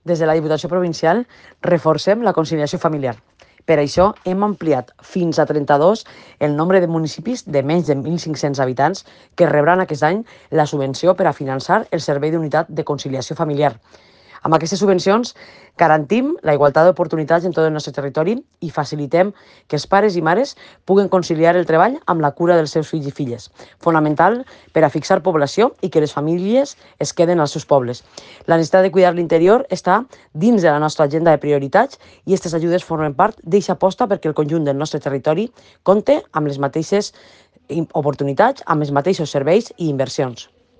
Des de la Diputació Provincial reforcem la conciliació familiar. Per això hem ampliat fins a 32 el nombre de municipis de menys de 1.500 habitants que rebran aquest any la subvenció per a finançar el servei d'unitat de conciliació familiar. Amb aquestes subvencions garantim la igualtat d'oportunitats en tot el nostre territori i facilitem que els pares i mares puguen conciliar el treball amb la cura dels seus fills i filles, fonamental per a fixar població i que les famílies es queden als seus pobles. La necessitat de cuidar l'interior està dins de la nostra agenda de prioritats i aquestes ajudes formen part d'aquesta aposta perquè el conjunt del nostre territori compte amb les mateixes oportunitats, amb els mateixos serveis i inversions.